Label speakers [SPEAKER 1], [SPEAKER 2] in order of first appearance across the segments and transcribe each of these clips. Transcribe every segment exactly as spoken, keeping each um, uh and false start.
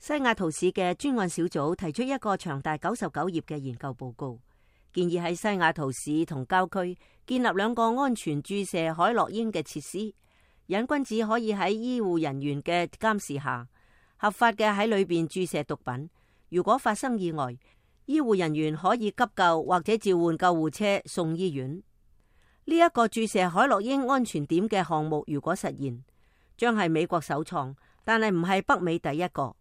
[SPEAKER 1] 西雅圖市嘅專案小組提出一個長達九十九頁嘅研究報告，建議喺西雅圖市同郊區建立兩個安全注射海洛因嘅設施，癮君子可以喺醫護人員嘅監視下，合法嘅喺裏邊注射毒品。如果發生意外，醫護人員可以急救或者召喚救護車送醫院。呢一個注射海洛因安全點嘅項目如果實現，將係美國首創，但係唔係北美第一個。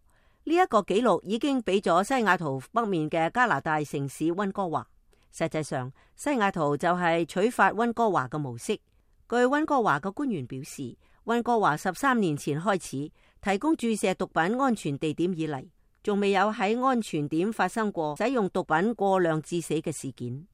[SPEAKER 1] 呢一個紀錄已經俾咗西雅圖北面嘅加拿大城市溫哥華。實際上，西雅圖就係取法溫哥華嘅模式。據溫哥華嘅官員表示，溫哥華十三年前開始提供注射毒品安全地點以嚟，仲未有喺安全點發生過使用毒品過量致死嘅事件。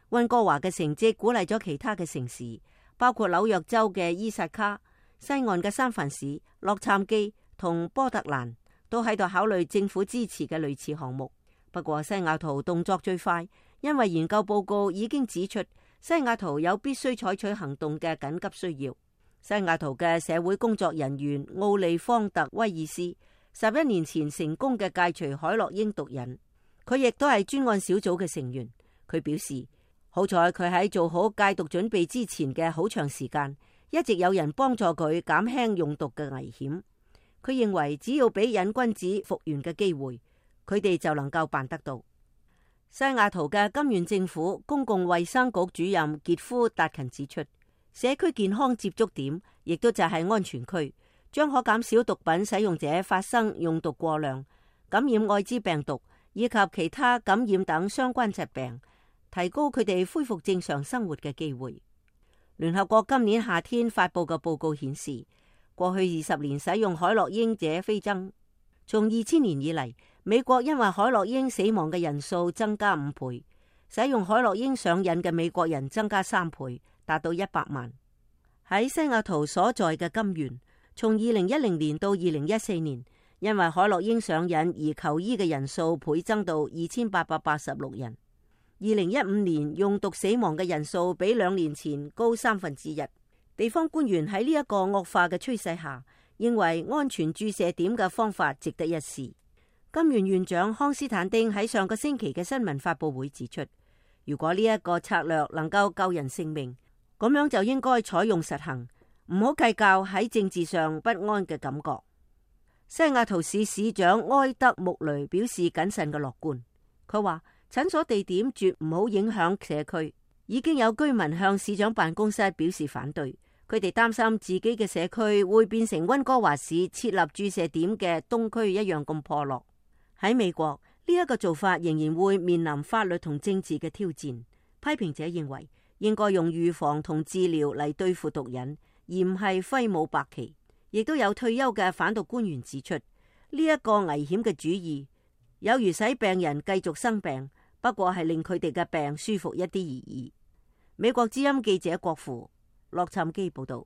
[SPEAKER 1] 溫哥華嘅成績鼓勵咗其他嘅城市，包括紐約州嘅伊薩卡、西岸嘅三藩市、洛杉磯同波特蘭，都喺度考慮政府支持嘅類似項目。不過西雅圖動作最快，因為研究報告已經指出西雅圖有必須採取行動嘅緊急需要。西雅圖嘅社會工作人員奧利方特威爾斯十一年前成功嘅戒除海洛因毒癮，佢亦都係專案小組嘅成員。佢表示，好彩佢喺做好戒毒準備之前嘅好長時間，一直有人幫助佢減輕用毒嘅危險。佢認為只要俾癮君子復原嘅機會，佢哋就能夠辦得到。西雅圖嘅金縣政府公共衛生局主任傑夫達勤指出，社區健康接觸點亦都就係安全區，將可減少毒品使用者發生用毒過量、感染艾滋病毒以及其他感染等相關疾病，提高佢哋恢復正常生活嘅機會。聯合國今年夏天發布嘅報告顯示，過去二十年使用海洛因者飛增，從二千年以嚟，美國因為海洛因死亡嘅人數增加五倍，使用海洛因上癮嘅美國人增加三倍，達到一百萬。喺西雅圖所在嘅金縣，從二零一零年到二零一四年，因為海洛因上癮而求醫嘅人數倍增到二千八百八十六人。二零一五年用毒死亡嘅人數比兩年前高三分之一。地方官員喺呢一個惡化嘅趨勢下，認為安全注射點嘅方法值得一試。金縣縣長康斯坦丁喺上個星期嘅新聞發佈會指出，如果呢一個策略能夠救人性命，咁樣就應該採用實行，唔好計較喺政治上不安嘅感覺。西雅圖市市長埃德穆雷表示謹慎嘅樂觀，佢話診所地點絕唔好影響社區。已經有居民向市長辦公室表示反對，佢哋擔心自己嘅社區會變成溫哥華市設立注射點嘅東區一樣咁破落。喺美國，呢一個做法仍然會面臨法律同政治嘅挑戰。批評者認為應該用預防同治療嚟對付毒癮，而唔係揮舞白旗。亦都有退休嘅反毒官員指出，呢一個危險嘅主意有如使病人繼續生病，不過係令佢哋嘅病舒服一啲而已。美國之音記者郭富洛杉磯報道。